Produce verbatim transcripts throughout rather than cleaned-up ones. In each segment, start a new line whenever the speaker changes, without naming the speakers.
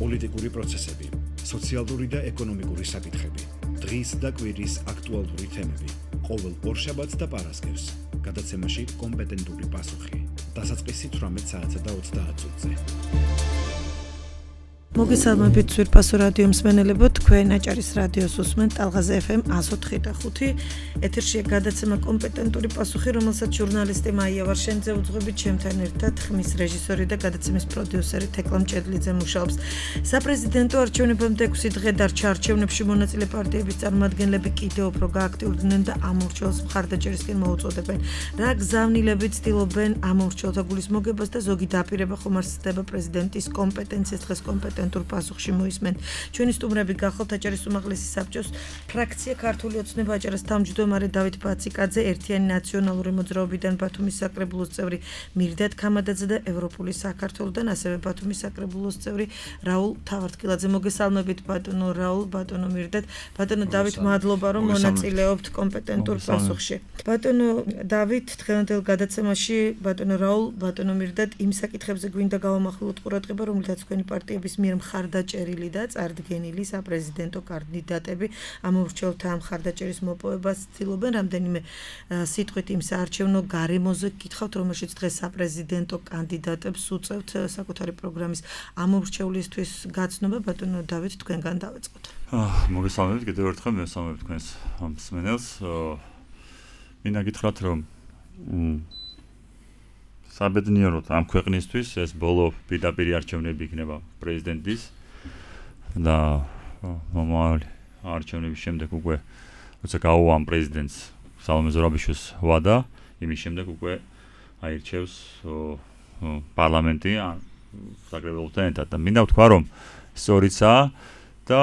პოლიტიკური პროცესები, სოციალური და ეკონომიკური საკითხები, დღის და კვირის აქტუალური თემები, ყოველ ორშაბათს და პარასკევს, გადაცემაში კომპეტენტური პასუხი, დასაწყისი თვრამეტ საათსა და ოცდაათ წუთზე.
მოგესალმებით ძვირფასო რადიო მსმენელებო, თქვენ აჭარის რადიოს უსმენთ ტალღაზე ეფ ემ one oh three point five. ეთერშია გადაცემა კომპეტენტური პასუხი, რომელსაც ჟურნალისტი მაია ვარშენიძე უძღვებით, ჩემთან ერთად ხმის რეჟისორი და გადაცემის პროდიუსერი თეკლა მჭედლიძე მუშაობს. საპრეზიდენტო არჩევნებამდე ექვსი დღე დარჩა. არჩევნებში მონაწილე პარტიების წარმომადგენლები კიდევ უფრო გააქტიურდნენ და ამ ურჩევლს მხარდაჭერისკენ მოუწოდებენ. რა გზავნილებით ცდილობენ ამ ურჩევლთა გულისმოგებას და ზოგი დაპირება ხომ არსდება პრეზიდენტის კომპეტენციას დღეს კომპეტენტ პასუხში მოისმენ. ჩვენი სტუმრები გახალთ აჭარის უმაღლესი საბჭოს ფრაქცია ქართული ოცნება აჭარას თავმჯდომარე დავით ბაციკაძე, ერთიანი ნაციონალური მოძრაობიდან ბათუმის საკრებულოს წევრი მირდად ქამადაძე და ევროპული საქართველოსთან ასევე ბათუმის საკრებულოს წევრი რაულ თავართკილაძე. მოგესალმებით ბატონო რაულ, ბატონო მირდად, ბატონო დავით, მადლობა რომ მონაწილეობთ კომპეტენტურ პასუხში. ბატონო დავით, დღევანდელ გადაცემაში ბატონო რაულ, ბატონო მირდად იმ საკითხებზე გვინდა გავამახვილოთ ყურადღება, რომლითაც თქვენი პარტიების მიერ მხარდაჭერილი და წარდგენილი საპრეზიდენტო კანდიდატები ამ ურჩევლთა მხარდაჭერის მოპოვებას ცდილობენ. რამდენიმე სიტყვით იმ საარჩევნო გარემოზე გითხავთ, რომელშიც დღეს საპრეზიდენტო კანდიდატებს უწევთ საკუთარი პროგრამის ამ ურჩევლისთვის გაცნობა. ბატონო დავით, თქვენგან დავეწყოთ.
მოგესალმებით კიდევ ერთხელ, მოგესალმებით თქვენს მსმენელს. მინდა გითხრათ, რომ საბედნიეროდ ამ ქვეყნისთვის ეს ბოლო პირდაპირ არჩევნები იქნება პრეზიდენტის და მომავალი არჩევნების შემდეგ უკვე როცა გაუვამ პრეზიდენტს სალომე ზურაბიშვილს ვადა, იმის შემდეგ უკვე აირჩევს პარლამენტი საკრებულოსთან ერთად. და მინდა ვთქვა, რომ სწორიცაა და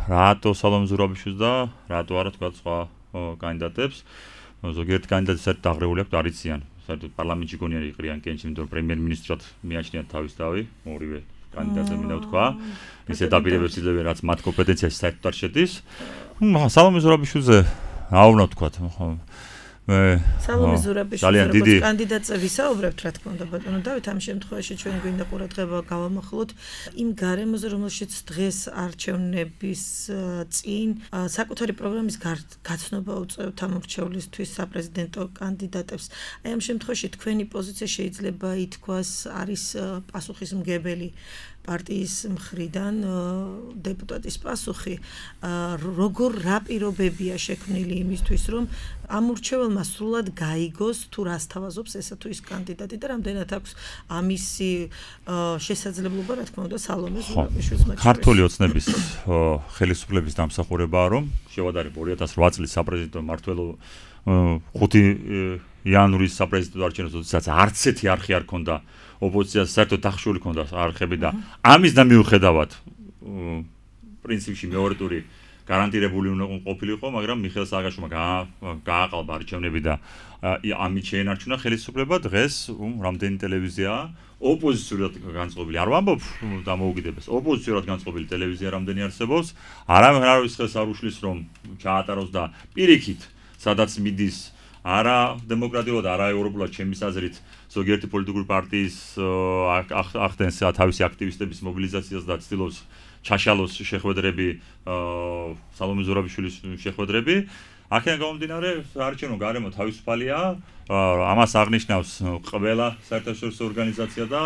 რატო სალომე ზურაბიშვილს და რატო არა თქვა სხვა კანდიდატებს. ზოგიერთ კანდიდატს საერთოდ დაღრეული აქვს, არიციან. საერთოდ პარლამენტში გონიერი იყრიან კენჭი, იმიტომ რომ პრემიერ-მინისტრად მიაჩნიათ თავის დავი, ორივე კანდიდატზე მინდა ვთქვა. ისე დაპირებებს იძლევენ, რაც მათ კომპეტენციაში საერთოდ არ შედის. სალომე ზურაბიშვილზე რა უნდა ვთქვათ, მე
სალომე ზურაბიშვილს როგორც კანდიდატზე ვისაუბრებთ, რა თქმა უნდა, ბატონო დავით, ამ შემთხვევაში ჩვენ გვინდა ყურადღება გავამახვილოთ იმ გარემოზე, რომელშიც დღეს არჩევნების წინ საკუთარი პროგრამის გაცნობა უწევთ ამ ურჩევლისთვის საპრეზიდენტო კანდიდატებს. აი ამ შემთხვევაში თქვენი პოზიცია შეიძლება ითქვას არის პასუხისმგებელი პარტიის მხრიდან დეპუტატის პასუხი. როგორ რა პირობებია შექმნილი იმისთვის, რომ ამ ურჩეველმა სრულად გაიგოს თუ რას თავაზობს ესა თუ ის კანდიდატი და რამდენად აქვს ამისი შესაძლებლობა, რა თქმა უნდა, სალომე ზურაბიშვილს მათ შორის.
ქართული ოცნების ხელისუფლების დამსახურებაა, რომ შევადარებ ორი ათას ოთხ წლის საპრეზიდენტო მმართველობა ხუთი იანვრის საპრეზიდენტო არჩევნებს, როდესაც არც ერთი არხი არ ქონდა ოპოზიციას, საერთოდ დახშული ქონდა არხები და ამის და მიუხედავად პრინციპში მეორე ტური გარანტირებული უნდა ყოფილიყო, მაგრამ მიხეილ სააკაშვილმა გააყალბა არჩევნები და ამით შეენარჩუნა ხელისუფლება. დღეს რამდენი ტელევიზიაა ოპოზიციურად განწყობილი, არ ვამბობ დამოუკიდებას, ოპოზიციურად განწყობილი ტელევიზია რამდენი არსებობს, არავინ არავის ხელს არ უშლის რომ ჩაატაროს და პირიქით, სადაც მიდის არა დემოკრატიულად, არა ევროპულად, ჩემის აზრით, ზოგიერთი პოლიტიკური პარტიის ახდენს თავისი აქტივისტების მობილიზაციას და ცდილობს ჩაშალოს შეხვედრები, სალომე ზურაბიშვილის შეხვედრები. აქედან გამომდინარე, საარჩევნო გარემო თავისუფალია, ამას აღნიშნავს ყველა საერთაშორისო ორგანიზაცია და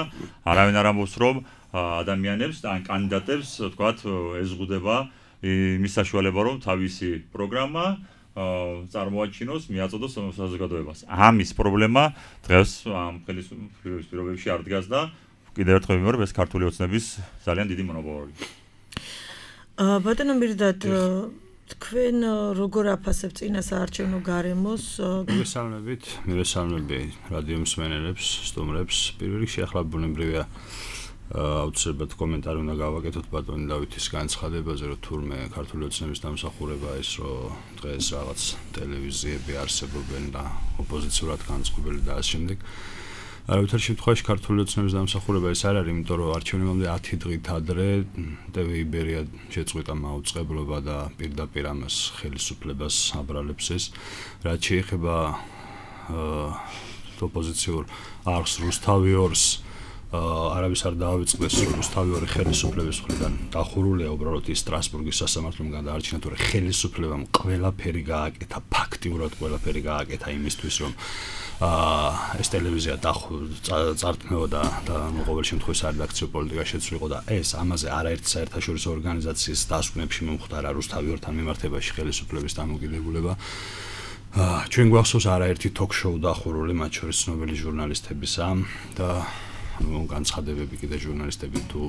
არავინ არ ამბობს, რომ ადამიანებს და კანდიდატებს, თქვათ, ეზღუდება იმის საშუალება, რომ თავისი პროგრამა წარმოაჩინოს, მიაწოდოს საზოგადოებას. ამის პრობლემა დღეს ამ ხელისუფლების პირობებში არ დგას და კიდევ ერთხელ ვიმეორებ, ეს ქართული ოცნების ძალიან დიდი მონოპოლია.
ბატონო მირდად, თქვენ როგორ აფასებთ წინა საარჩევნო გარემოს?
მოგესალმებით, მივესალმები რადიო მსმენელებს, სტუმრებს. პირველ რიგში ახლა ბუნებრივია აუცილებლად კომენტარი უნდა გავაკეთოთ ბატონი დავითის განცხადებაზე, რომ თურმე ქართული ოცნების დამსახურება ის, რომ დღეს რაღაც ტელევიზიები არსებობენ და ოპოზიციურად განწყობილი და ამ შემდეგ. არავითარ შემთხვევაში ქართული ოცნების დამსახურება ის არ არის, იმიტომ რომ არჩევნებამდე ათი დღით ადრე ტევ იბერია შეწყვიტა მაუწყებლობა და პირდაპირ ამას ხელისუფლებას აბრალებს ეს. რაც შეეხება ოპოზიციურ არხს რუსთავი ორს არავის არ დაავიწყდეს რუსთავი ორი ხელისუფლების მხრიდან დახურულია უბრალოდ ის სტრასბურგის სასამართლომ გადაარჩინა, თორე ხელისუფლებამ ყველაფერი გააკეთა, ფაქტიურად ყველაფერი გააკეთა იმისთვის, რომ აა ეს ტელევიზია წარქმეოდა და ყოველ შემთხვევაში სარედაქციო პოლიტიკა შეცვლილიყო და ეს ამაზე არაერთი საერთაშორისო ორგანიზაციის დასკვნებში მომხდარა რუსთავი ორთან მიმართებაში ხელისუფლების დამოკიდებულება. ჩვენ გვახსოვს არაერთი ток-შოუ დახურული, მათ შორის ცნობილი ჟურნალისტებისა და განცხადებები კიდე ჟურნალისტები თუ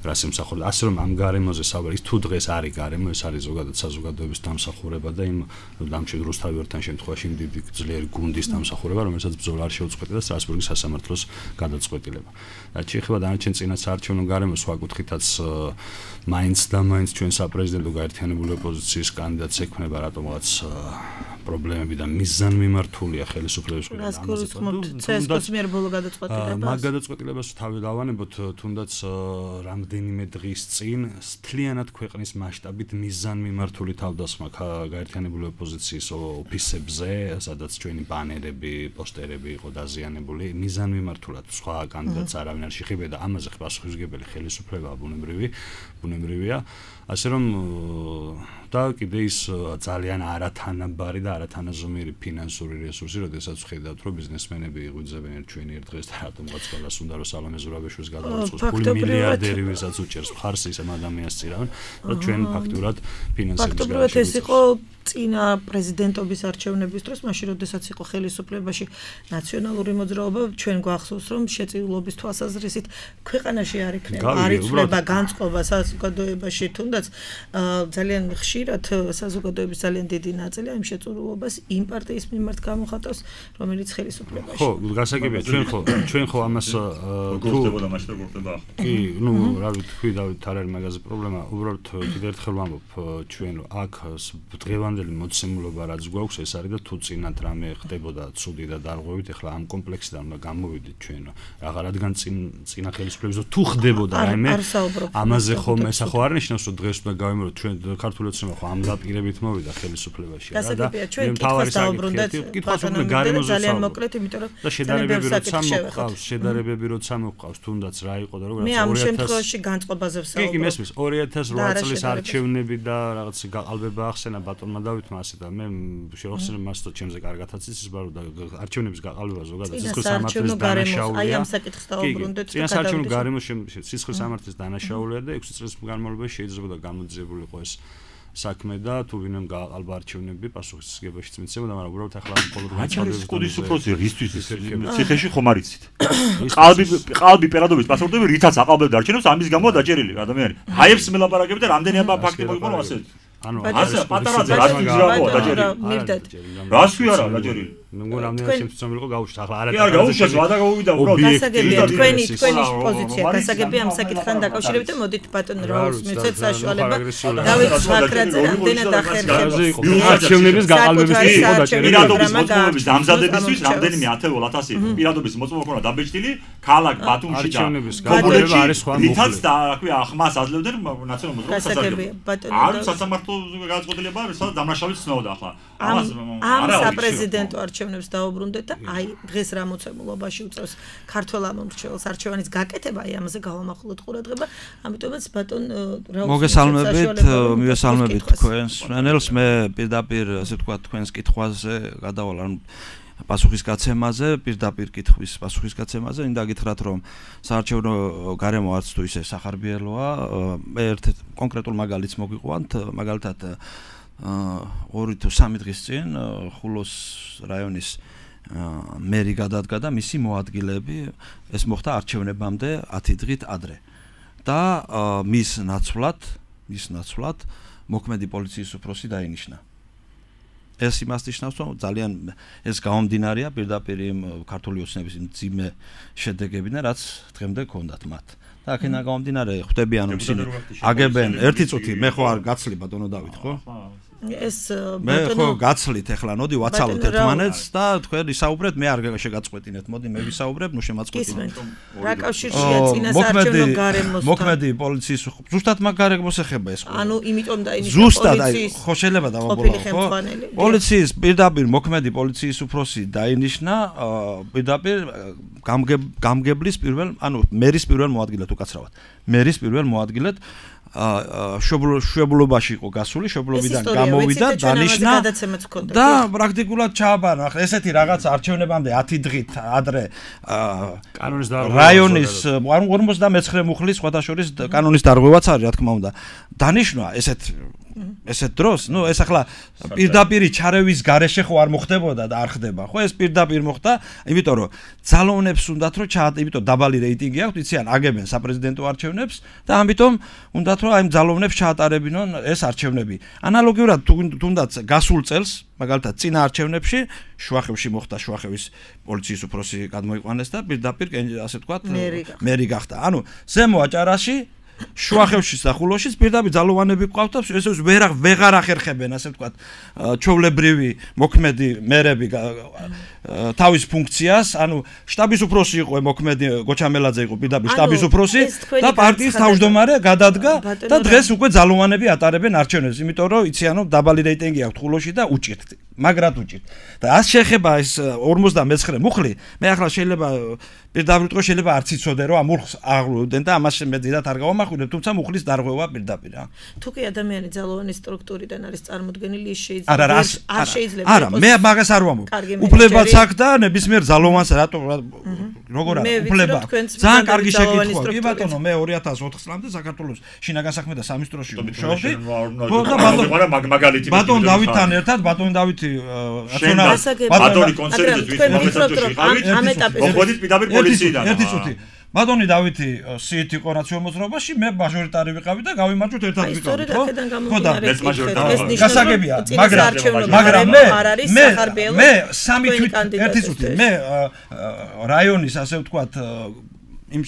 რას ემსახურება. ასე რომ ამ გარემოზე საუბარი, თუ დღეს არის გარემო, ეს არის ზოგადად საზოგადოების დამსახურება და იმ დამჩენ რუსთავი ორთან შემთხვევაში იმ დიდი ძლიერი გუნდის დამსახურება, რომელსაც ბრძოლა არ შეუწყვეტა და სტრასბურგის სასამართლოს გადაწყვეტილება. და შეიძლება დანარჩენ წინა საარჩევნო გარემოს სხვა კუთხითაც მაინც და მაინც ჩვენ საპრეზიდენტო გაერთიანებული ოპოზიციის კანდიდატს ექმნება რატომღაც პრობლემები და მიზანმიმართულია ხელისუფლების მხრიდან.
რას გულისხმობთ ცსკ-ს მიერ ბოლო გადაწყვეტილებას?
მაგ გადაწყვეტილებას თავი დავანებოთ, თუნდაც რამდენიმე დღის წინ მთლიანად ქვეყნის მასშტაბით მიზანმიმართული თავდასხმა გაერთიანებული ოპოზიციის ოფისებზე, სადაც ჩვენი ბანერები, პოსტერები იყო დაზიანებული, მიზანმიმართულად სხვა კანდიდატს არავინ არ შეხვდა, ამაზე პასუხისმგებელი ხელისუფლება ბუნებრივი, ბუნებრივია. ასე რომ და კიდე ის ძალიან არათანაბარი და არათანაზომიერი ფინანსური რესურსი, როდესაც ვხედავთ, რომ ბიზნესმენები იღვიძებენ ერთ ჩვენი ერთ დღეს და რატომღაც ყველას უნდა რომ სალომე ზურაბიშვილს გადავაწყოს ფული მილიარდერი, ვისაც უჭერს მხარს ისე ადამიანს წირავენ, რომ ჩვენ ფაქტურად ფინანსების
ფაქტობრივად ეს იყო წინა პრეზიდენტობის არჩევნების დროს, მაშინ როდესაც იყო ხელისუფლებაში ნაციონალური მოძრაობა, ჩვენ გვახსოვს, რომ შეწირულობის თვალსაზრისით ქვეყანაში არ იქნება, არ იცვლება განწყობა საზოგადოებაში, თუნდაც ძალიან ხშირად საზოგადოების ძალიან დიდი ნაწილი ამ შეწირულობას იმ პარტიის მიმართ გამოხატავს, რომელიც ხელისუფლებაში.
ხო, გასაგებია, ჩვენ ხო, ჩვენ ხო ამას
თუ გულდებოდა მაშინ და გულდება.
კი, ნუ რა ვთქვი, დავით, არ არის მაგაზე პრობლემა, უბრალოდ კიდევ ერთხელ ვამბობ, ჩვენ აქ დღევანდელი მოცემულობა რაც გვაქვს, ეს არის და თუ წინათ რამე ხდებოდა ცუდი და დარღვევით, ეხლა ამ კომპლექსიდან უნდა გამოვიდეთ ჩვენ. რაღა რადგან წინ წინა ხელისუფლების თუ ხდებოდა რაიმე, ამაზე ხომ ეს ხო არ ნიშნავს, რომ დღეს უნდა გავიმეოროთ ჩვენ ქართული ოცნება ხო ამ დაპირებით მოვიდა ხელისუფლებაში
რა და ჩვენ კითხვას დაუბრუნდეთ,
კითხვას უნდა გარემოზე
ძალიან მოკლედ, იმიტომ რომ
და შედარებები როცა მოყავს, შედარებები როცა მოყავს, თუნდაც რა იყო და
მე
როგორ
ამ შემთხვევაში განწყობაზე ვსაუბრობ.
კი, მესმის ორი ათას რვა წლის არჩევნები და რაღაც გაყალბება ახსენა ბატონმა დავითმა ასე და მე შევახსენე მას და ჩემზე კარგათაც ის ბარო და არჩევნების გაყალბება ზოგადად სისხლის სამართლის დანაშაულია.
აი ამ საკითხს დაუბრუნდეთ
და არჩევნო გარემოს სისხლის სამართლის დანაშაულია და ექვსი წლის განმავლობაში შეიძლება გამოძიებული იყო ეს საქმე და თუ ვინმემ გააყალბა არჩევნები პასუხისმგებაშიც მიცემოდა, მაგრამ უბრალოდ ახლა მხოლოდ
განცხადების კუდის უფროსი რისთვის ციხეში ხომ არ იცით? ყალბი ყალბი პერადობის პასპორტები რითაც აყალბებდა არჩევნებს, ამის გამო დაჭერილი ადამიანი. ჰაიებს მელაპარაკებთ და რამდენი აბა ფაქტი მოიყვანო ასე.
ანუ
ასე პატარაძე რას გიჟრაოა დაჭერილი?
მივდეთ.
რას კი არა დაჭერილი?
მე მგონი რამდენი შემცნობილი იყო გაუშვით ახლა არა
კი არ გაუშვეს ვადა გავუვიდა უბრალოდ
გასაგებია თქვენი თქვენი პოზიცია გასაგებია ამ საკითხთან დაკავშირებით და მოდით ბატონ რაულს მიცეთ საშუალება დავით ზვაქრაძე რამდენად ახერხებს
არჩევნების გაყალბების იყო დაჭერილი
პირადობის მოწმობების დამზადებისთვის რამდენიმე ათეულ ათასი პირადობის მოწმობა ქონა დაბეჭდილი ქალაქ ბათუმში და
გაყალბება არის სხვა
მითაც და აქვე ახმას აძლევდნენ ნაციონალურ მოძრაობას
გასაგებია ბატონო
არ სასამართლო გადაწყვეტილება სადაც დამნაშავედ ცნობდა ახლა
ამას ამ საპრეზიდენტო არჩევნებს დაუბრუნდეთ და აი დღეს რა მოცემულობაში უწევს ქართველ ამომრჩეველს არჩევანის გაკეთება, აი ამაზე გავამახვილოთ ყურადღება, ამიტომაც ბატონ რაუს
მოგესალმებით, მივესალმებით თქვენს მენელს, მე პირდაპირ ასე ვთქვათ თქვენს კითხვაზე გადავალ, ანუ პასუხისგაცემაზე, პირდაპირ კითხვის პასუხისგაცემაზე, მინდა გითხრათ, რომ საარჩევნო გარემო არც თუ ისე სახარბიელოა, მე ერთ კონკრეტულ მაგალითს მოგიყვანთ, მაგალითად ორი თუ სამი დღის წინ ხულოს რაიონის მერი გადადგა და მისი მოადგილეები ეს მოხდა არჩევნებამდე ათი დღით ადრე და მის ნაცვლად მის ნაცვლად მოქმედი პოლიციის უფროსი დაინიშნა. ეს იმას ნიშნავს, რომ ძალიან ეს გამომდინარეა პირდაპირ იმ ქართული ოცნების მძიმე შედეგებიდან, რაც დღემდე ჰქონდათ მათ. და აქედან გამომდინარე ხვდები, ანუ ისინი აგებენ ერთი წუთი, მე ხო არ გაცლი ბატონო დავით, ხო?
ეს
მე ხო გაცლით ახლა ნოდი ვაცალოთ ერთმანეთს და თქვენ ისაუბრეთ მე არ შეგაწყვეტინეთ მოდი მე ვისაუბრებ ნუ შემაწყვეტინეთ
რა კავშირშია წინასაარჩევნო გარემოსთან
მოქმედი პოლიციის ზუსტად მაგ გარემოს ეხება ეს ყველა
ანუ იმიტომ და იმის
ზუსტად აი ხო შეიძლება დავაბოლო ხო პოლიციის პირდაპირ მოქმედი პოლიციის უფროსი დაინიშნა პირდაპირ გამგებლის პირველ ანუ მერის პირველ მოადგილედ უკაცრავად მერის პირველ მოადგილედ შვეულობაში იყო გასული, შვეულობიდან გამოვიდა, დანიშნა და პრაქტიკულად ჩააბარა. ახლა ესეთი რაღაც არჩევნებამდე ათი დღით ადრე
კანონის დარღვევა
რაიონის ორმოცდამეცხრე მუხლის სხვათა შორის კანონის დარღვევაც არის, რა თქმა უნდა. დანიშნა ესეთ ესეთ დროს, ნუ ეს ახლა პირდაპირი ჩარევის გარეშე ხო არ მოხდებოდა და არ ხდება, ხო? ეს პირდაპირ მოხდა, იმიტომ რომ ძალოვნებს უნდათ რომ ჩაატ, იმიტომ დაბალი რეიტინგი აქვს, იციან, აგებენ საპრეზიდენტო არჩევნებს და ამიტომ უნდათ რომ აი ძალოვნებს ჩაატარებინონ ეს არჩევნები. ანალოგიურად თუნდაც გასულ წელს, მაგალითად, წინა არჩევნებში შუახევში მოხდა შუახევის პოლიციის უფროსი გადმოიყვანეს და პირდაპირ ასე ვთქვათ, მერი გახდა. ანუ ზემო აჭარაში შუახევში და ხულოში პირდაპირ ძალოვანები ყავთ და ესე ვერ ვეღარ ახერხებენ ასე ვთქვათ ჩვეულებრივი მოქმედი მერები თავის ფუნქციას ანუ შტაბის უფროსი იყო მოქმედი გოჩამელაძე იყო პირდაპირ შტაბის უფროსი და პარტიის თავმჯდომარე გადადგა და დღეს უკვე ძალოვანები ატარებენ არჩევნებს იმიტომ რომ იციან რომ დაბალი რეიტინგი აქვს ხულოში და უჭირთ მაგრად უჭირთ და ას შეეხება ეს ორმოცდამეცხრე მუხლი მე ახლა შეიძლება პირდაპირ თქო შეიძლება არც იცოდე რომ ამ მუხლს აღვლოდნენ და ამას მე დიდად არ გავამახვილებ თუმცა მუხლის დარღვევა პირდაპირ რა
თუ კი ადამიანი ძალოვანი სტრუქტურიდან არის წარმოდგენილი ის შეიძლება არ შეიძლება
არა მე მაგას არ ვამბობ უფლებაც აქვს და ნებისმიერ ძალოვანს რატო როგორ არის უფლება ძალიან კარგი შეკითხვაა კი ბატონო მე ორი ათას ოთხ წლამდე საქართველოს შინაგან საქმეთა სამინისტროში მუშაობდი ბატონ დავითთან ერთად ბატონ დავითი
ბატონი კონცერტზე ვისმოხეთ
ამ ეტაპზე
მოხდით პირდაპირ პოლიციიდან
ერთი წუთი ბატონი დავითი სიით იყო რაციონალ მოძრაობაში მე მაჟორიტარი ვიყავი და გავიმარჯვოთ ერთად ვიყავით ხო და
ეს მაჟორიტარი
გასაგებია მაგრამ მაგრამ მე მე მე სამი თვით ერთი წუთი მე რაიონის ასე ვთქვათ იმ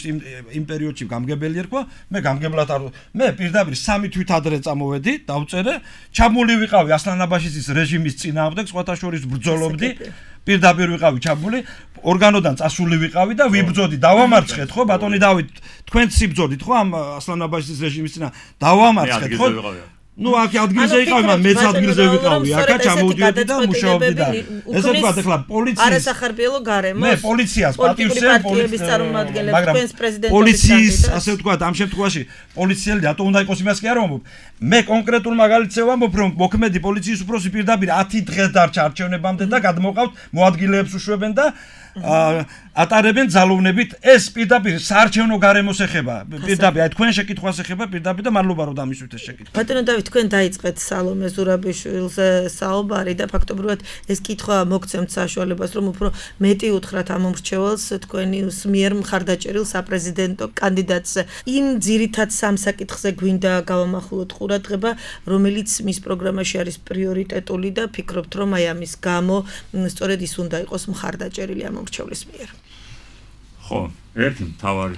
იმ პერიოდში გამგებელი ერქვა მე გამგებლად არ მე პირდაპირ სამი თვით ადრე წამოვედი დავწერე ჩამული ვიყავი ასლანაბაშის რეჟიმის წინააღმდეგ სხვათა შორის ბრძოლობდი პირდაპირ ვიყავი ჩამული ორგანოდან წასული ვიყავი და ვიბრძოდი დავამარცხეთ ხო ბატონი დავით თქვენც იბრძოდით ხო ამ ასლანაბაშის რეჟიმის წინა დავამარცხეთ ხო ну აქ ადგილზე იყავი მაგრამ მეც ადგილზე ვიყავი აქა ჩამოვდიოდი და მუშაობდი და ესე ვთქვათ ახლა პოლიციის
არასახარბიელო გარემოს
მე პოლიციას პატივსცემ
პოლიციის წარმომადგენლებს თქვენს პრეზიდენტობის
პოლიციის ასე ვთქვათ ამ შემთხვევაში პოლიციელი რატო უნდა იყოს იმას კი არ ვამბობ მე კონკრეტულ მაგალითზე ვამბობ რომ მოქმედი პოლიციის უფროსი პირდაპირ ათი დღეს დარჩა არჩევნებამდე და გადმოყავთ მოადგილეებს უშვებენ და ატარებენ ძალოვნებით ეს პირდაპირ საარჩევნო გარემოს ეხება პირდაპირ აი თქვენ შეკითხვას ეხება პირდაპირ და მადლობა რომ დამისვით ეს შეკითხვა
ბატონო დავით თქვენ დაიწყეთ სალომე ზურაბიშვილზე საუბარი და ფაქტობრივად ეს კითხვა მოგცემთ საშუალებას რომ უფრო მეტი უთხრათ ამ მომრჩეველს თქვენი მიერ მხარდაჭერილ საპრეზიდენტო კანდიდატს იმ ძირითად სამ საკითხზე გვინდა გავამახვილოთ ყურადღება რომელიც მის პროგრამაში არის პრიორიტეტული და ფიქრობთ რომ აი ამის გამო სწორედ ის უნდა იყოს მხარდაჭერილი ამ მრჩევლის მიერ.
ხო, ერთი მთავარი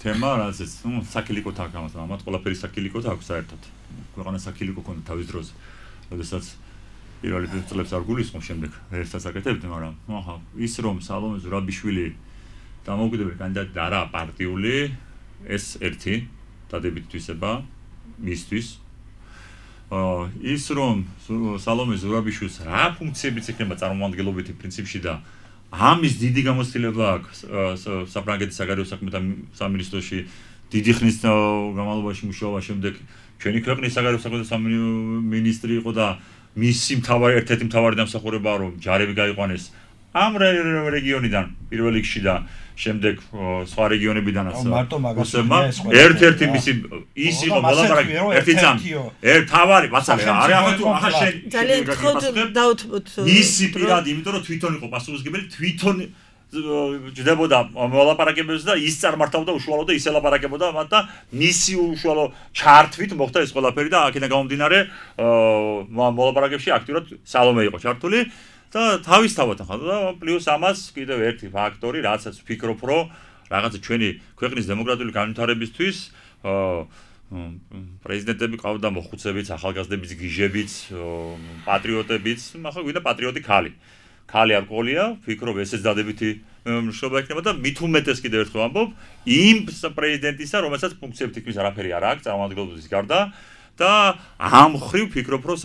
თემა, რაზეც, ну, საკილიკოთ აქვს, ამათ ყველაფერი საკილიკოთ აქვს საერთოდ. ქვეყანა საკილიკო ქონდა თავის დროზე. როდესაც პირველი წლებს არ გულისხმობ შემდეგ ერთსაც აკეთებდი, მაგრამ ახლა ის რომ სალომე ზურაბიშვილი დამოუკიდებელი კანდიდატი და არა პარტიული, ეს ერთი დადებით თვისება მისთვის. აა ის რომ სალომე ზურაბიშვილს რა ფუნქციებიც ექნება წარმომადგენლობითი პრინციპში და ამის დიდი გამოცდილება აქვს საფრანგეთის საგარეო საქმეთა სამინისტროში დიდი ხნის განმავლობაში მუშაობა შემდეგ ჩვენი ქვეყნის საგარეო საქმეთა სამინისტრი იყო და მისი მთავარი ერთ-ერთი მთავარი დამსახურებაა რომ ჯარები გაიყვანეს ამ რეგიონიდან პირველ რიგში და შემდეგ სხვა რეგიონებიდანაც უსებმა ერთ-ერთი მისი ის იყო მოლაპარაკე ერთი წამი ერთ თავარი მაცალე არა ახლა თუ ახლა შენ
ძალიან ხოთ დაუთმოთ
მისი პირადი იმიტომ რომ თვითონ იყო პასუხისმგებელი თვითონ ჯდებოდა მოლაპარაკებებს და ის წარმართავდა უშუალოდ და ის ელაპარაკებოდა მათ და მისი უშუალო ჩართვით მოხდა ეს ყველაფერი და აქედან გამომდინარე მოლაპარაკებში აქტიურად სალომე იყო ჩართული და თავისთავად ახლა და პლუს ამას კიდევ ერთი ფაქტორი რასაც ვფიქრობ რომ რაღაცა ჩვენი ქვეყნის დემოკრატიული განვითარებისთვის პრეზიდენტები ყავდა მოხუცებიც, ახალგაზრდებიც, გიჟებიც, პატრიოტებიც, ახლა გვინდა პატრიოტი ქალი. ქალი არ ყოლია, ვფიქრობ ესეც დადებითი მშობა იქნება და მით უმეტეს კიდევ ერთხელ ვამბობ, იმ პრეზიდენტისა, რომელსაც ფუნქციები თითქმის არაფერი არ აქვს, წარმომადგენლობის გარდა და ამ ხრივ ვფიქრობ, რომ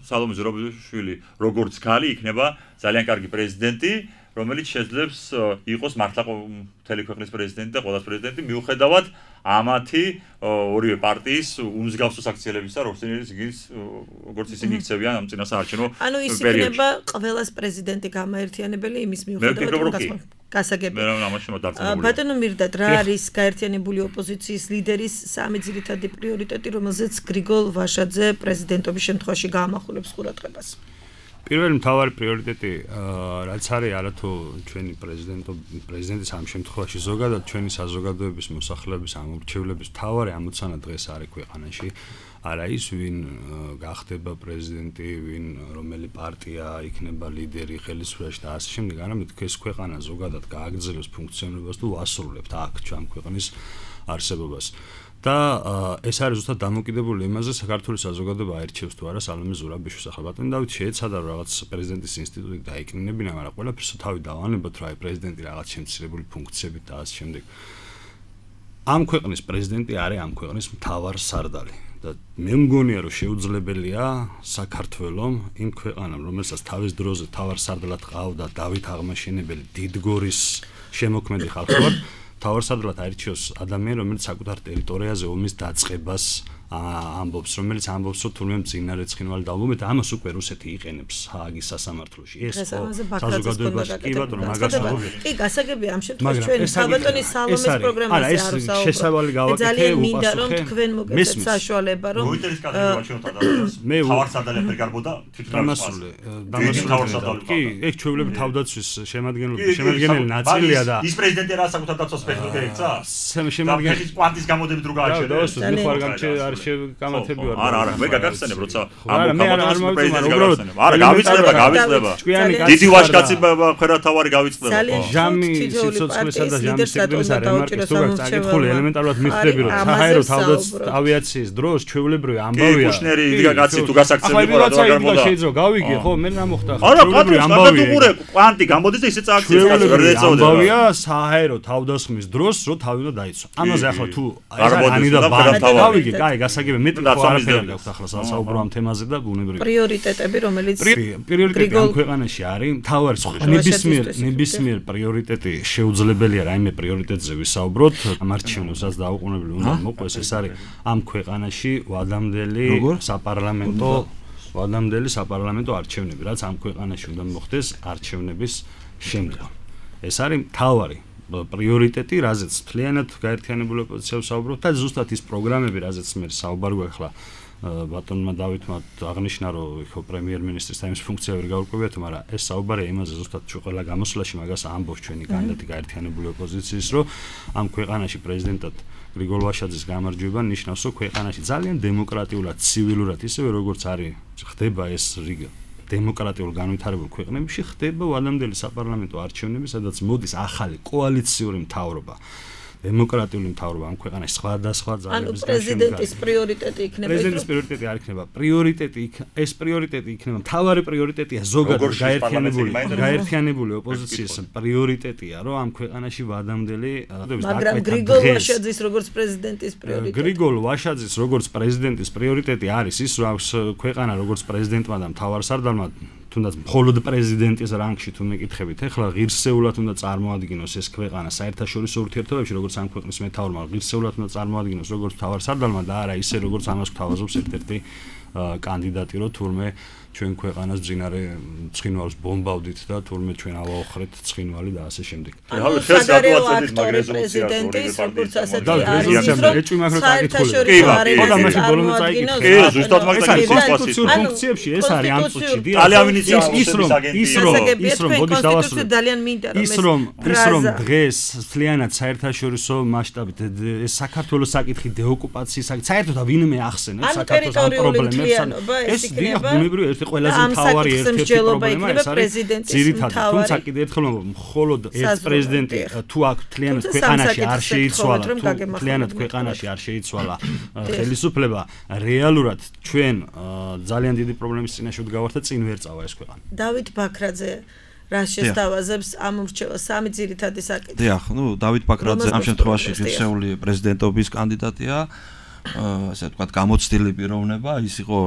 სალომე ზურაბიშვილი როგორც ქალი იქნება ძალიან კარგი პრეზიდენტი, რომელიც შეძლებს იყოს მართლა მთელი ქვეყნის პრეზიდენტი და ყველას პრეზიდენტი მიუხედავად ამათი ორივე პარტიის უმსგავსო საქციელებისა, როგორც ისინი იქცევიან ამ წინასაარჩევნო პერიოდში.
ანუ ის იქნება ყველას პრეზიდენტი გამაერთიანებელი იმის მიუხედავად გასაგები. ბატონო მირდად, რა არის გაერთიანებული ოპოზიციის ლიდერის სამი ძირითადი პრიორიტეტი, რომელზეც გრიგოლ ვაშაძე პრეზიდენტობის შემთხვევაში გაამახვილებს ყურადღებას?
პირველი მთავარი პრიორიტეტი რაც არის არათუ ჩვენი პრეზიდენტო პრეზიდენტის ამ შემთხვევაში ზოგადად ჩვენი საზოგადოების მოსახლეობის ამორჩევლების მთავარი ამოცანა დღეს არის ქვეყანაში არა ის ვინ გახდება პრეზიდენტი, ვინ რომელი პარტია იქნება ლიდერი ხელისუფლებაში და ასე შემდეგ, არამედ ეს ქვეყანა ზოგადად გააგრძელოს ფუნქციონირებას თუ ვასრულებთ აქ ჩვენ ქვეყნის არსებობას. და ეს არის ზუსტად დამოკიდებული იმაზე, საქართველოს საზოგადოება აირჩევს თუ არა სალომე ზურაბიშვილს. ახლა ბატონი დავით შეეცადა რაღაც პრეზიდენტის ინსტიტუტი დაეკნინებინა, მაგრამ ყველაფერს თავი დავანებოთ, რა პრეზიდენტი რაღაც შემცირებული ფუნქციებით და ასე შემდეგ. ამ ქვეყნის პრეზიდენტი არის ამ ქვეყნის მთავარსარდალი და მე მგონია, რომ შეუძლებელია საქართველოს იმ ქვეყანამ, რომელსაც თავის დროზე მთავარსარდალად ყავდა დავით აღმაშენებელი დიდგორის შემოქმედი ხალხი ვარ, თავარსარდალად აირჩიოს ადამიანი, რომელიც საკუთარ ტერიტორიაზე ომის დაწყებას ამბობს, რომელიც ამბობს, რომ თურმე მძინარე ცხინვალი დავუმეთ, ამას უკვე რუსეთი იყენებს ჰააგის სასამართლოში. ეს საზოგადოებაში კი ბატონო, მაგას ვამბობ.
კი, გასაგებია ამ შემთხვევაში ჩვენი საბატონი სალომეს პროგრამაზე არ ვსაუბრობთ.
შესავალი გავაკეთე,
ძალიან მინდა რომ თქვენ მოგეცეთ საშუალება, რომ
როიტერის კადრები ვაჩვენოთ ადამიანს. მე თავარსარდალი ვერ გარბოდა თვითონ
დამასული. დამასული. კი, ეგ ჩვეულები თავდაცვის შემადგენლობის შემადგენელი ნაწილია და
ის პრეზიდენტი რა საკუთარ დაცვას ფეხს გეიქცა?
შემადგენელი
კვანტის გამოდებით რო გააჩერე.
მე ხარ გამჩე არ შეგამათები ვარ.
არა, არა, ვერ გაგახსენებ, როცა ამ გამოდების პრეზიდენტს გაგახსენებ. არა, გავიწლება, გავიწლება. დიდი ვაშკაცი ხერათავარი გავიწლება.
ჟამი სიცოცხლესა და ჟამის სექტორის რემარკის თუ გაკითხული ელემენტარულად მიხდები, რომ საჰაერო თავდაცვის ავიაციის დროს ჩვეულებრივი ამბავია.
კუშნერი იდგა კაცი თუ გასაქცევი ყურა და
გარმოდა. შეიძლება გავიგე, ხო, მე რა მოხდა?
ჩვეულებრივი ამბავია. კვანტი გამოდის და ისე წააქციეს კაცი ვერ ეწოდება.
ამბავია საჰაერო თავდასხმის დროს, რომ თავი უნდა დაიცვა. ამაზე ახლა თუ ანი და გავიგე, კაი, გასაგები მეტი ხო არაფერი გაქვს ახლა საუბრო ამ თემაზე და ბუნებრივია.
პრიორიტეტები, რომელიც
პრიორიტეტი ამ ქვეყანაში არის, მთავარი ნებისმიერ ნებისმიერ პრიორიტეტი შეუძლებელია რაიმე პრიორიტეტზე ვისაუბროთ, ამ არჩევნებსაც დაუყოვნებლივ უნდა მოყვეს, ეს არის ამ ქვეყანაში ვადამდელი საპარლამენტო ვადამდელი საპარლამენტო არჩევნები, რაც ამ ქვეყანაში უნდა მოხდეს არჩევნების შემდგომ. ეს არის მთავარი პრიორიტეტი, რაზეც მთლიანად გაერთიანებული ოპოზიცია ვსაუბრობთ და ზუსტად ის პროგრამები, რაზეც მე საუბარი გვაქვს ბატონმა დავითმა აღნიშნა, რომ ხო პრემიერ-მინისტრის თემის ფუნქცია ვერ გაურკვევიათ, მაგრამ ეს საუბარია იმაზე ზუსტად ჩვენ ყველა გამოსვლაში მაგას ამბობს ჩვენი კანდიდატი გაერთიანებული ოპოზიციის, რომ ამ ქვეყანაში პრეზიდენტად გრიგოლ ვაშაძის გამარჯვება ნიშნავს, რომ ქვეყანაში ძალიან დემოკრატიულად, ცივილურად, ისევე როგორც არის ხდება ეს რიგი დემოკრატიულ განვითარებულ ქვეყნებში ხდება ვადამდელი საპარლამენტო არჩევნები, სადაც მოდის ახალი კოალიციური მთავრობა. დემოკრატიული მთავრობა ამ ქვეყანაში სხვადასხვა ძალების
გაშენდა. ანუ პრეზიდენტის პრიორიტეტი იქნება.
პრეზიდენტის პრიორიტეტი არ იქნება. პრიორიტეტი ეს პრიორიტეტი იქნება. მთავარი პრიორიტეტია ზოგადად გაერთიანებული გაერთიანებული ოპოზიციის პრიორიტეტია, რომ ამ ქვეყანაში ვადამდელი
მაგრამ გრიგოლ ვაშაძის როგორც პრეზიდენტის პრიორიტეტი.
გრიგოლ ვაშაძის როგორც პრეზიდენტის პრიორიტეტი არის ის, რომ ქვეყანა როგორც პრეზიდენტმა და მთავარსარდალმა თუნდაც მხოლოდ პრეზიდენტის რანგში თუ მეკითხებით, ეხლა ღირსეულად უნდა წარმოადგინოს ეს ქვეყანა საერთაშორისო ურთიერთობებში, როგორც ამ ქვეყნის მეთაურმა ღირსეულად უნდა წარმოადგინოს როგორც მთავარსარდალმა და არა ისე როგორც ამას გვთავაზობს ერთ-ერთი კანდიდატი, რომ თურმე ჩვენ ქვეყანას ძინარე ცხინვალს ბომბავდით და თურმე ჩვენ ავაოხრეთ ცხინვალი და ასე შემდეგ.
ანუ საგარეო აქტორი პრეზიდენტის როგორც ასეთი არის,
ეჭვი მაქვს რომ წაკითხული.
კი,
ხო და მაშინ ბოლომდე წაიკითხე.
კი, ზუსტად მაგას
კონსტიტუციურ ფუნქციებში ეს არის ანტუჩი.
ძალიან ინიციატივის
ის რომ ის რომ ის რომ ბოდის დავასრულე.
ძალიან მინდა რომ
ის რომ ის რომ დღეს მთლიანად საერთაშორისო მასშტაბით ეს საქართველოს საკითხი დეოკუპაციის საკითხი საერთოდ ვინმე ახსენებს საქართველოს ამ პრობლემის
მთლიანობა ეს იქნება.
ბუნებრივი ერთი ყველაზე მთავარი ერთ-ერთი პრობლემა ეს არის. ძირითადად, თუმცა კიდევ ერთხელ ვამბობ, მხოლოდ ეს პრეზიდენტი თუ აქ მთლიანად ქვეყანაში არ შეიცვალა, თუ მთლიანად ქვეყანაში არ შეიცვალა ხელისუფლება, რეალურად ჩვენ ძალიან დიდი პრობლემის წინაშე ვდგავართ და წინ ვერ წავა ეს ქვეყანა.
დავით ბაქრაძე რა შესთავაზებს ამ ურჩევლას სამი ძირითადი საკითხი.
დიახ, ნუ დავით ბაქრაძე ამ შემთხვევაში ღირსეული პრეზიდენტობის კანდიდატია. ასე ვთქვათ, გამოცდილი პიროვნება, ის იყო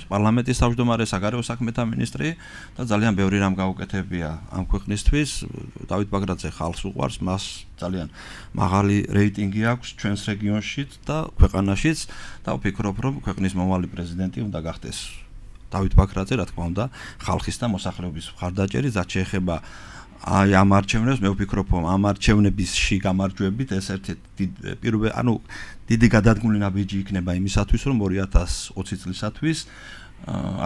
პარლამენტის თავმჯდომარე, საგარეო საქმეთა მინისტრი და ძალიან ბევრი რამ გაუკეთებია ამ ქვეყნისთვის. დავით ბაქრაძე ხალხს უყვარს, მას ძალიან მაღალი რეიტინგი აქვს ჩვენს რეგიონში და ქვეყანაშიც და ვფიქრობ, რომ ქვეყნის მომავალი პრეზიდენტი უნდა გახდეს დავით ბაქრაძე, რა თქმა უნდა, ხალხის და მოსახლეობის მხარდაჭერით, რაც შეეხება აი ამ არჩევნებს, მე ვფიქრობ, რომ ამ არჩევნებისში გამარჯვებით ეს ერთ-ერთი პირველი, ანუ დიდი გადადგმული ნაბიჯი იქნება იმისათვის, რომ ორი ათას ოცი წლისათვის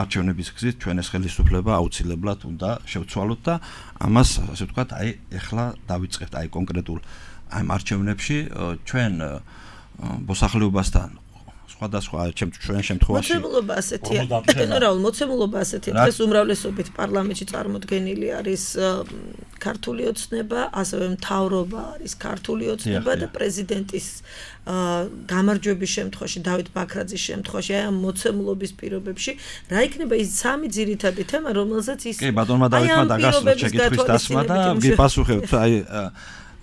არჩევნების გზით ჩვენ ეს ხელისუფლება აუცილებლად უნდა შევცვალოთ და ამას, ასე ვთქვათ, აი ეხლა დავიწყებთ აი კონკრეტულ აი ამ არჩევნებში ჩვენ მოსახლეობასთან სხვადასხვა ჩვენ შემთხვევაში
მოცემულობა ასეთია. გენერალ მოცემულობა ასეთია. დღეს უმრავლესობით პარლამენტში წარმოდგენილი არის ქართული ოცნება, ასევე მთავრობა არის ქართული ოცნება და პრეზიდენტის გამარჯვების შემთხვევაში, დავით ბაქრაძის შემთხვევაში, აი ამ მოცემულობის პირობებში, რა იქნება ის სამი ძირითადი თემა, რომელზეც ის
კი, ბატონმა დავითმა დაგასვა შეკითხვის დასმა და გიპასუხებთ, აი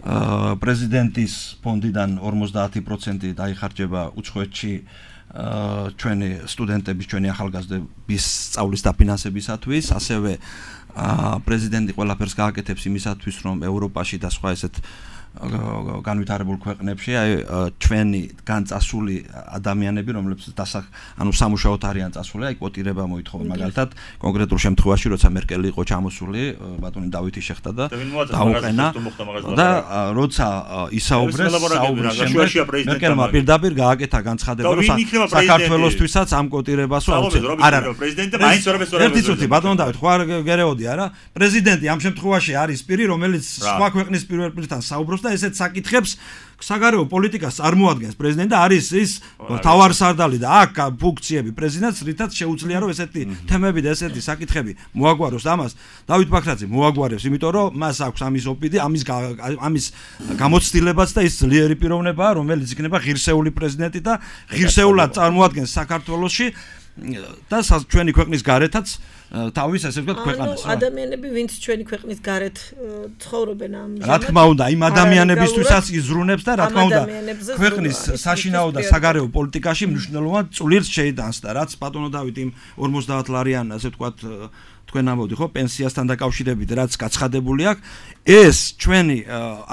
პრეზიდენტის ფონდიდან ორმოცდაათი პროცენტი დაიხარჯება უცხოეთში ჩვენი სტუდენტების, ჩვენი ახალგაზრდების სწავლის დაფინანსებისათვის, ასევე პრეზიდენტი ყველაფერს გააკეთებს იმისათვის, რომ ევროპაში და სხვა ესეთ განვითარებულ ქვეყნებში აი ჩვენი განწასული ადამიანები, რომლებსაც დასახ, ანუ სამუშაოდ არიან წასული, აი კვოტირება მოითხოვენ მაგალითად კონკრეტულ შემთხვევაში, როცა მერკელი იყო ჩამოსული, ბატონი დავითი შეხდა და დაუყენა და როცა ისაუბრეს, საუბრის შემდეგ მერკელმა პირდაპირ გააკეთა განცხადება, რომ საქართველოსთვისაც ამ კვოტირებასო აუცილებლად არ არის
პრეზიდენტი, მაინც ვერაფერს ვერ
ერთი წუთი, ბატონ დავით, ხო არ გერეოდი არა? პრეზიდენტი ამ შემთხვევაში არის პირი, რომელიც სხვა ქვეყნის პირველ პირთან საუბრობს და ესეთ საკითხებს საგარეო პოლიტიკას წარმოადგენს პრეზიდენტი და არის ის თავარსარდალი და აქ ფუნქციები პრეზიდენტს, რითაც შეუძლია რომ ესეთი თემები და ესეთი საკითხები მოაგვაროს ამას დავით ბაქრაძე მოაგვარებს, იმიტომ რომ მას აქვს ამის ოპიდი, ამის ამის გამოცდილებაც და ის ძლიერი პიროვნებაა, რომელიც იქნება ღირსეული პრეზიდენტი და ღირსეულად წარმოადგენს საქართველოში და ჩვენი ქვეყნის გარეთაც თავის ასე ვთქვათ ქვეყანას.
ანუ ადამიანები, ვინც ჩვენი ქვეყნის გარეთ ცხოვრობენ ამ
რა თქმა უნდა, იმ ადამიანებისთვისაც იზრუნებს და რა თქმა უნდა ქვეყნის საშინაო და საგარეო პოლიტიკაში მნიშვნელოვან წვლილს შეიტანს და რაც ბატონო დავით იმ ორმოცდაათ ლარიან ასე ვთქვათ თქვენ ამბობთ ხო პენსიასთან დაკავშირებით რაც გაცხადებული აქვს, ეს ჩვენი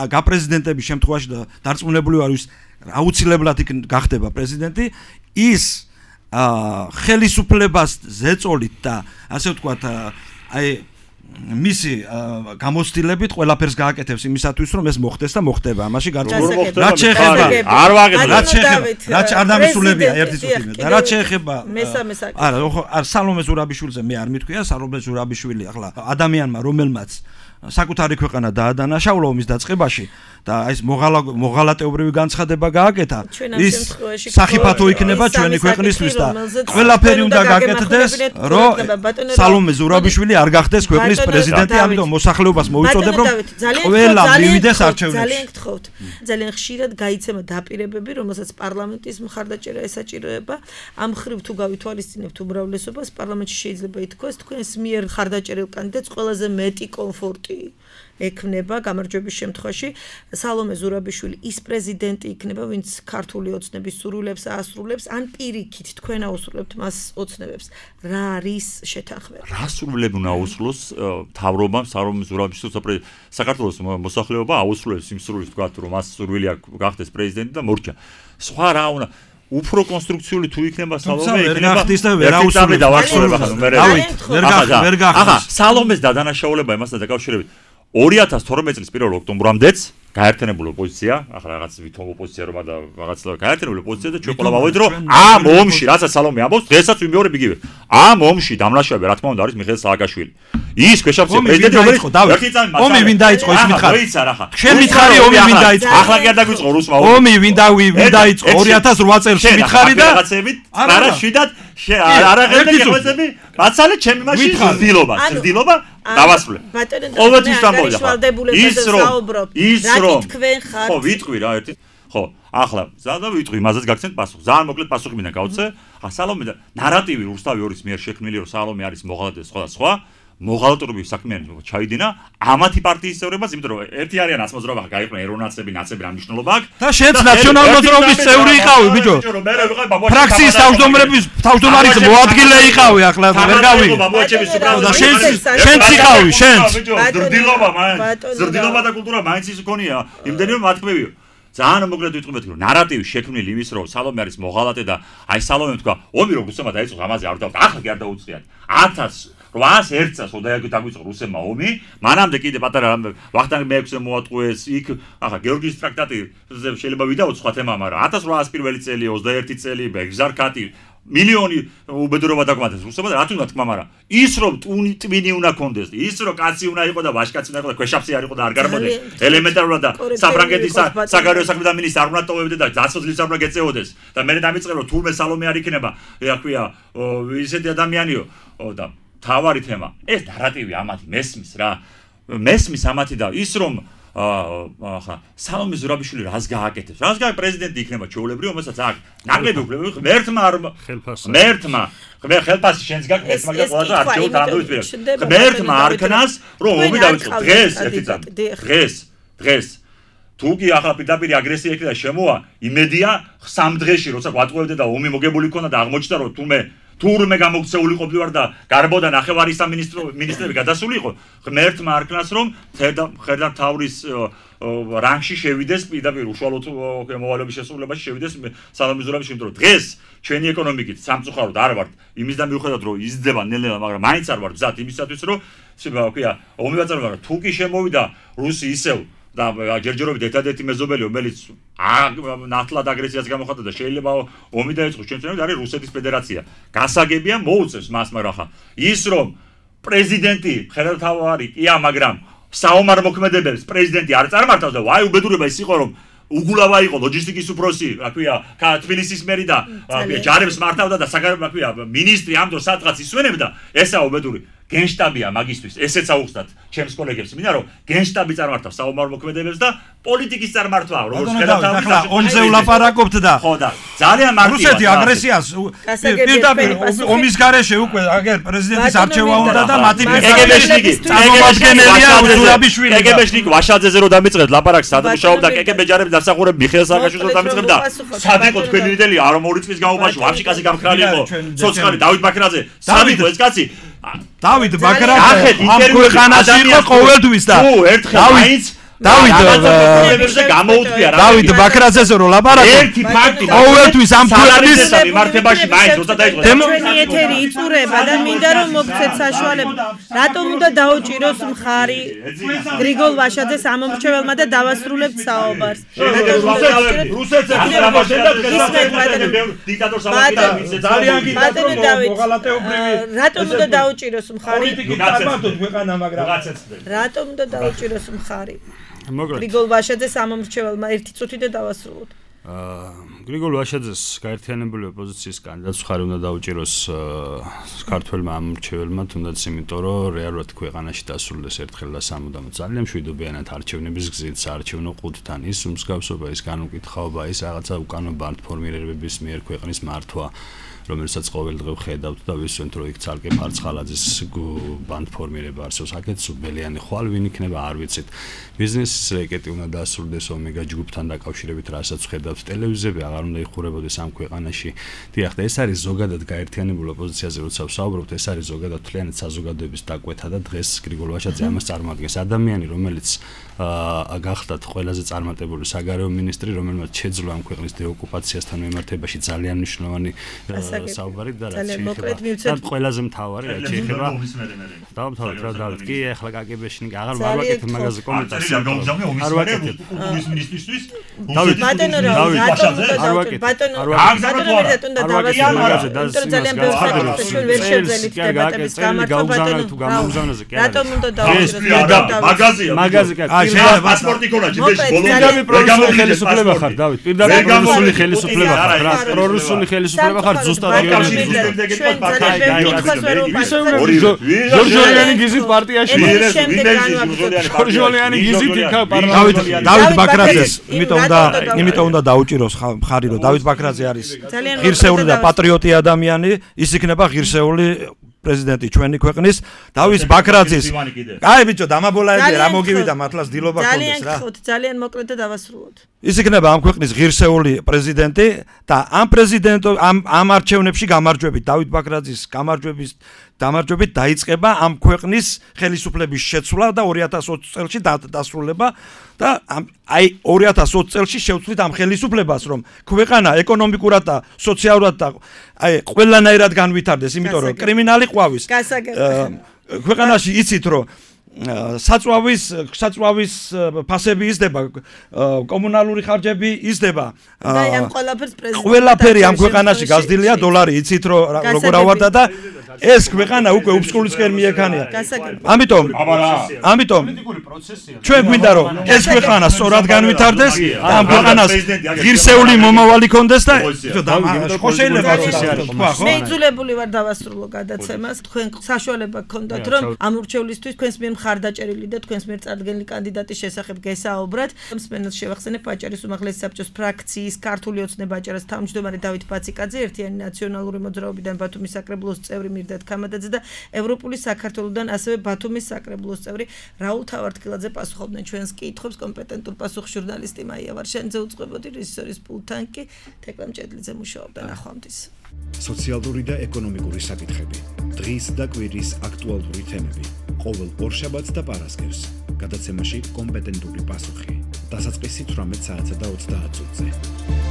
გაპრეზიდენტების შემთხვევაში და დარწმუნებული ვარ ის აუცილებლად გახდება პრეზიდენტი, ის ხელისუფლებას ზეწოლით და ასე ვთქვათ აი მისი გამოცდილებით ყველაფერს გააკეთებს იმისათვის რომ ეს მოხდეს და მოხდება ამაში გარკვეულად რაც შეეხება
არ ვაგებთ
რაც შეეხება რაც არ დამისულებია ერთი წუთი და რაც შეეხება
მესამე საკითხი
არა არ სალომე ზურაბიშვილზე მე არ მithქვია სალომე ზურაბიშვილი ახლა ადამიანმა რომელმაც საკუთარი ქვეყანა დაადანაშაულა ომის დაწყებაში და ეს მოღალატეობრივი განცხადება გააკეთა ის სახიფათო იქნება ჩვენი ქვეყნისთვის და ყველაფერი უნდა გაკეთდეს რომ სალომე ზურაბიშვილი არ გახდეს ქვეყნის პრეზიდენტი, ამიტომ მოსახლეობას მოვიწოდებ რომ ყველა მივიდეს არჩევნებში.
ძალიან გთხოვთ, ძალიან ხშირად გაიცემა დაპირებები, რომელსაც პარლამენტის მხარდაჭერა ესაჭიროება. ამ ხრივ თუ გავითვალისწინებთ უმრავლესობას, პარლამენტში შეიძლება ითქვას, თქვენს მიერ მხარდაჭერილ კანდიდატს ყველაზე მეტი კომფორტი ექნება გამარჯვების შემთხვევაში სალომე ზურაბიშვილი ის პრეზიდენტი იქნება, ვინც ქართული ოცნების სურვილებს აასრულებს, ან პირიქით თქვენ აუსრულებთ მას ოცნებებს. რა არის შეთანხმება?
რა სურვილები უნდა აუსრულოს მთავრობამ სალომე ზურაბიშვილს საქართველოს მოსახლეობა აუსრულებს იმ სურვილს, თქვათ, რომ მას სურვილი აქვს გახდეს პრეზიდენტი და მორჩა. სხვა რა უნდა უფრო კონსტრუქციული თუ იქნება სალომე იქნება
ვერ აუსრულებს
და ვახშობა ხანო მე
ვერ გახდეს
ახლა სალომეს დადანაშაულება იმასთან დაკავშირებით ორი ათას თორმეტი წლის პირველ ოქტომბრამდეც გაერთიანებული ოპოზიცია, ახლა რაღაც ვითომ ოპოზიცია რომ და რაღაც გაერთიანებული ოპოზიცია და ჩვენ ყველა ვავედით რომ ამ ომში, რასაც სალომე ამბობს, დღესაც ვიმეორებ იგივე. ამ ომში დამნაშავე რა თქმა უნდა არის მიხეილ სააკაშვილი. ის ქვეშავსია პრეზიდენტი რომელიც ერთი წამი მასალა.
ომი ვინ დაიწყო ის მითხარი?
მოიცა რა ხა.
შენ მითხარი ომი ვინ დაიწყო?
ახლა კი არ დაგვიწყო რუსმა ომი.
ომი ვინ დავი ვინ დაიწყო ორი ათას რვა წელს მითხარი და
რაღაცებით არა შვიდად არა ღერდა შეხვეწები მასალა ჩემი მაშინ ზრდილობა ზრდილობა დავასრულე. ყოველთვის დამოვიდა. ის რომ ის რომ ხო ვიტყვი რა ერთი ხო ახლა ზადა ვიტყვი მასაც გაგცემთ პასუხი. ძალიან მოკლედ პასუხი მინდა გავცე. ახლა სალომე და ნარატივი რუსთავი ორის მიერ შექმნილი რომ სალომე არის მოღალატე სხვა და სხვა მოღალატურები საქმიანი ჩაიდინა ამათი პარტიის წევრებას, იმიტომ რომ ერთი არიან აცმოძრაობა გაიყვნენ ეროვნაცები, ნაცები რა მნიშვნელობა აქვს
და შენც ნაციონალ-მოძრაობის წევრი იყავი ბიჭო. ფრაქციის თავმჯდომრების თავმჯდომარის მოადგილე იყავი ახლა ვერ გავიგე. და შენც შენც იყავი, შენც.
ზრდილობა მაინც ზრდილობა და კულტურა მაინც ის გქონია, იმდენი რომ მათქმევიო. ძალიან მოკლედ ვიტყვით რომ ნარატივი შექმნილი იმის რომ სალომე არის მოღალატე და აი სალომემ თქვა ომი რომ რუსებმა დაიწყო ამაზე არ დავთ ახლა კი არ დაუწყიათ ათას რვაას წელს ოდაიაგით დაგვიწყო რუსებმა ომი მანამდე კიდე პატარა ვახტანგ მეექვსე მოატყუეს იქ ახლა გეორგის ტრაქტატი შეიძლება ვიდაოთ სხვა თემა მაგრამ ათას რვაას პირველი წელი ოცდაერთი წელი ბეგზარკატი მილიონი უბედურობა დაგმატეს რუსებმა და რა თქმა თქმა მაგრამ ის რომ ტუნი ტვინი უნდა კონდეს ის რომ კაცი უნდა იყო და ვაშკაცი უნდა იყო და ქვეშაფსი არ იყო და არ გარბოდეს ელემენტარულად და საფრანგეთის საგარეო საქმეთა მინისტრი არ უნდა ტოვებდე და ძაცოძლის არ უნდა გეწეოდეს და მე დამიწყე რომ თურმე სალომე არ იქნება რა ქვია ისეთი ადამიანიო და თავარი თემა ეს ნარატივი ამათი მესმის რა მესმის ამათი და ის რომ ახლა სალომე ზურაბიშვილი რას გააკეთებს რას გააკეთებს პრეზიდენტი იქნება ჩვეულებრივ რომელსაც აქვს ნაკლები უფლებები ღმერთმა ღმერთმა ხელფასი შენს გაქვს მაგრამ ყველაზე არჩეულ თანამდებობის პირას ღმერთმა არქნას რომ ომი დაიწყო დღეს ერთი წამი დღეს დღეს თუ კი ახლა პირდაპირ აგრესია იქნება შემოვა იმედია სამ დღეში როცა გვატყუებდა და ომი მოგებული ქონდა და აღმოჩნდა რომ თურმე თურმე გამოქცეული ყოფილვარ და გარბოდა ნახევარი სამინისტრო მინისტრები გადასული იყო ღმერთმა არქნას რომ ხერდა თავრის რანგში შევიდეს პირდაპირ უშუალოდ მოვალეობის შესრულებაში შევიდეს სალომე ზურაბიშვილი იმიტომ რომ დღეს ჩვენი ეკონომიკით სამწუხაროდ არ ვართ იმის და მიუხედავად რომ იზრდება ნელ-ნელა მაგრამ მაინც არ ვართ გზად იმისათვის რომ ქვია ომი ვაწარმოებდა მაგრამ თუ კი შემოვიდა რუსი ისევ და ჯერჯერობით ერთადერთი მეზობელი რომელიც ნათლად აგრესიას გამოხატა და შეიძლება ომი დაიწყოს ჩვენს ეროვნულ არის რუსეთის ფედერაცია. გასაგებია მოუწევს მას მაგრამ ხა ის რომ პრეზიდენტი ხელმძღვანელი კია მაგრამ საომარ მოქმედებებს პრეზიდენტი არ წარმართავს და ვაი უბედურება ის იყო რომ უგულავა იყო ლოჯისტიკის უფროსი, რა ქვია, თბილისის მერი და რა ქვია, ჯარებს მართავდა და საგარეო რა ქვია, მინისტრი ამ დროს სადღაც ისვენებდა, ესაა უბედური. გენშტაბია მაგისტვის, ესეც აუხსნათ ჩემს კოლეგებს, მინდა რომ გენშტაბი წარმართავს საომარ მოქმედებებს და პოლიტიკის წარმართვა, როგორც ხელმძღვანელი
ახლა ომზე ვლაპარაკობთ და
ხო და ძალიან მარტივად
რუსეთი აგრესიას პირდაპირ ომის გარეშე უკვე აგერ პრეზიდენტის არჩევა უნდა და მათი
კეგებეშნიკი
წარმომადგენელია ზურაბიშვილი
კეგებეშნიკი ვაშაძეზე რო დამიწყეთ ლაპარაკს სად მუშაობდა კეგებ ჯარები დასახურებ მიხეილ სააკაშვილს რო დამიწყებდა სად იყო თქვენი ლიდერი არ ორი წლის განმავლობაში ვაფშიკაზე გამხრალი იყო ცოცხალი დავით ბაქრაძე სად იყო ეს კაცი
დავით ბაქრაძე ამ ქვეყანაში იყო ყოველთვის და
დავით
დავით
გამოუწვია რა
დავით ბაქრაძეზე რო ლაპარაკობ
ერთი ფაქტი
ყოველთვის ამ ქვეყნის
მიმართებაში მაინც როცა დაიწყო
ჩვენი ეთერი იწურება და მინდა რომ მოგცეთ საშუალება რატომ უნდა დაუჭიროს მხარი გრიგოლ ვაშაძეს ამომრჩეველმა და დავასრულებთ საუბარს
რუსეთს დიქტატორს
ძალიან მოღალატეობრივი
რატომ უნდა დაუჭიროს მხარი
წარმართოთ ქვეყანა მაგრამ
რატომ უნდა დაუჭიროს მხარი გრიგოლ ვაშაძეს ამომრჩეველმა ერთი წუთი და დავასრულოთ
გრიგოლ ვაშაძეს გაერთიანებული ოპოზიციის კანდიდატს მხარი უნდა დაუჭიროს ქართველმა ამომრჩეველმა თუნდაც იმიტომ რომ რეალურად ქვეყანაში დასრულდეს ერთხელ და სამუდამოდ ძალიან მშვიდობიანად არჩევნების გზით საარჩევნო ყუთთან ის უმსგავსობა ის განუკითხაობა ის რაღაცა უკანონო ბანდფორმირებების მიერ ქვეყნის მართვა რომელსაც ყოველდღე ვხედავთ და ვისვენთ რომ იქ ცალკე ფარცხალაძის ბანდფორმირება არსებობს აქეთ სუბელიანი ხვალ ვინ იქნება არ ვიცით ბიზნესის რეკეტი უნდა დასრულდეს ომეგა ჯგუფთან დაკავშირებით რასაც ვხედავთ ტელევიზიები აღარ აღარ უნდა იხურებოდეს ამ ქვეყანაში. დიახ, და ეს არის ზოგადად გაერთიანებულ ოპოზიციაზე, როცა ვსაუბრობთ, ეს არის ზოგადად მთლიანად საზოგადოების დაკვეთა და დღეს გრიგოლ ვაშაძე ამას წარმოადგენს. ადამიანი, რომელიც აა გახდათ ყველაზე წარმატებული საგარეო მინისტრი, რომელმაც შეძლო ამ ქვეყნის დეოკუპაციასთან მიმართებაში ძალიან მნიშვნელოვანი საუბარი და რაც
შეიძლება
და ყველაზე მთავარი რაც შეიძლება დავამთავრეთ რა დავით კი ახლა კაკებეში აღარ არ ვაკეთებ მაგაზე კომენტარს
არ ვაკეთებ პოპულიზმ მინისტრისთვის
დავით ბატონო რა არ ვაკეთებ ბატონო ბატონო და დავასრულო მაგაზე და ძალიან ბევრი საკითხი ჩვენ ვერ შევძელით დებატების გამართვა ბატონო
თუ გამოგზავნაზე კი არა
რატომ უნდა დავუშვათ
მაგაზია
მაგაზე კი არა
შეიძლება პასპორტი ქონაჩი ეს
პირდაპირ პრორუსული ხელისუფლება ხარ დავით პირდაპირ პრორუსული ხელისუფლება ხარ რა პრორუსული ხელისუფლება ხარ ზუსტად ჟორჟოლიანი გიზით პარტიაში ჟორჟოლიანი გიზით იქა პარლამენტში
დავით ბაქრაძეს იმიტომ და იმიტომ უნდა დაუჭიროს ხარი რომ დავით ბაქრაძე არის ღირსეული და პატრიოტი ადამიანი ის იქნება ღირსეული პრეზიდენტი ჩვენი ქვეყნის დავით ბაქრაძის აი ბიჭო დამაბოლაები რა მოგივიდა მართლაც დილობა გქონდეს რა
ძალიან ძალიან მოკლედ და დავასრულოთ
ის იქნება ამ ქვეყნის ღირსეული პრეზიდენტი და ამ პრეზიდენტო ამ ამ არჩევნებში გამარჯვებით დავით ბაქრაძის გამარჯვების დამარჯვებით დაიწყება ამ ქვეყნის ხელისუფლების შეცვლა და ორი ათას ოცი წელში დასრულება და აი ორი ათას ოცი წელში შევცვლით ამ ხელისუფლებას რომ ქვეყანა ეკონომიკურად და სოციალურად და აი ყველანაირად განვითარდეს იმიტომ რომ კრიმინალი ყვავის ქვეყანაში იცით რომ საწვავის საწვავის ფასები იზრდება კომუნალური ხარჯები იზრდება
და ამ ყველაფერს პრეზიდენტი
ყველაფერი ამ ქვეყანაში გაზრდილია დოლარი იცით რომ როგორ ავარდა და ეს ქვეყანა უკვე უფსკულისკენ მიექანია ამიტომ ამიტომ ჩვენ გვინდა რომ ეს ქვეყანა სწორად განვითარდეს და ამ ქვეყანას ღირსეული მომავალი ქონდეს და ხო შეიძლება ეს არის თქვა ხო
მე იძულებული ვარ დავასრულო გადაცემას თქვენ საშუალება გქონდათ რომ ამ ურჩევლისთვის თქვენს მიერ მხარდაჭერილი და თქვენს მიერ წარდგენილი კანდიდატის შესახებ გესაუბრათ. მსმენელს შევახსენებ აჭარის უმაღლესი საბჭოს ფრაქციის ქართული ოცნება აჭარას თავმჯდომარე დავით ბაციკაძე, ერთიანი ნაციონალური მოძრაობიდან ბათუმის საკრებულოს წევრი მირდათ ქამადაძე და ევროპული საქართველოსდან ასევე ბათუმის საკრებულოს წევრი რაულ თავართკილაძე პასუხობდნენ ჩვენს კითხვებს. კომპეტენტურ პასუხს ჟურნალისტი მაია ვარშენიძე უწყებოდი, რეჟისორის პულტთან კი თეკლა მჭედლიძე მუშაობდა. ნახვამდის.
სოციალური და ეკონომიკური საკითხები, დღის და კვირის აქტუალური თემები. ყოველ ორშაბათს და პარასკევს გადაცემაში კომპეტენტური პასუხი. დასაწყისი თვრამეტ საათსა და ოცდაათ წუთზე.